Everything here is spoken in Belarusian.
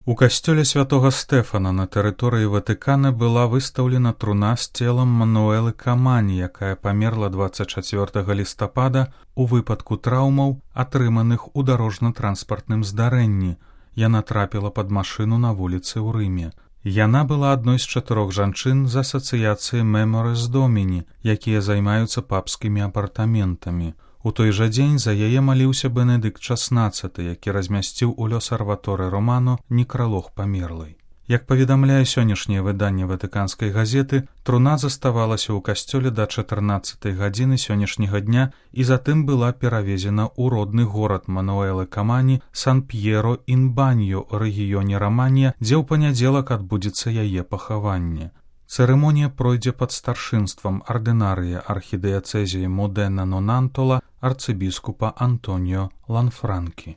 У касцёле святога Стэфана на тэрыторыі Ватыкана была выстаўлена труна з целам Мануэлы Камані, якая памерла 24 лістапада у выпадку траўмаў, атрыманых у дарожна-транспартным здарэнні. Яна трапіла пад машыну на вуліцы ў Рыме. Яна была адной з 4 жанчын з асацыяцыі Меморис Доміні, якія займаюцца папскімі апартаментамі. У той жа дзень за яе маліўся Бенедыкт XVI, які размясціў у Л'Осерваторе Романо некралог памерлай. Як паведамляе сённяшняе выданне ватыканскай газеты, труна заставалася ў касцёле да 14 гадзіны сённяшняга дня і затым была перавезена ў родны горад Мануэлы Камані Сан-П'еро-ін-Баньо ў рэгіёне Раманья, дзе ў панядзелак адбудзецца яе пахаванне. Цырымонія пройдзе пад старшынствам ардынарыя архідыяцэзіі Модена-Нонантола арцыбіскупа Антоніо Ланфранкі.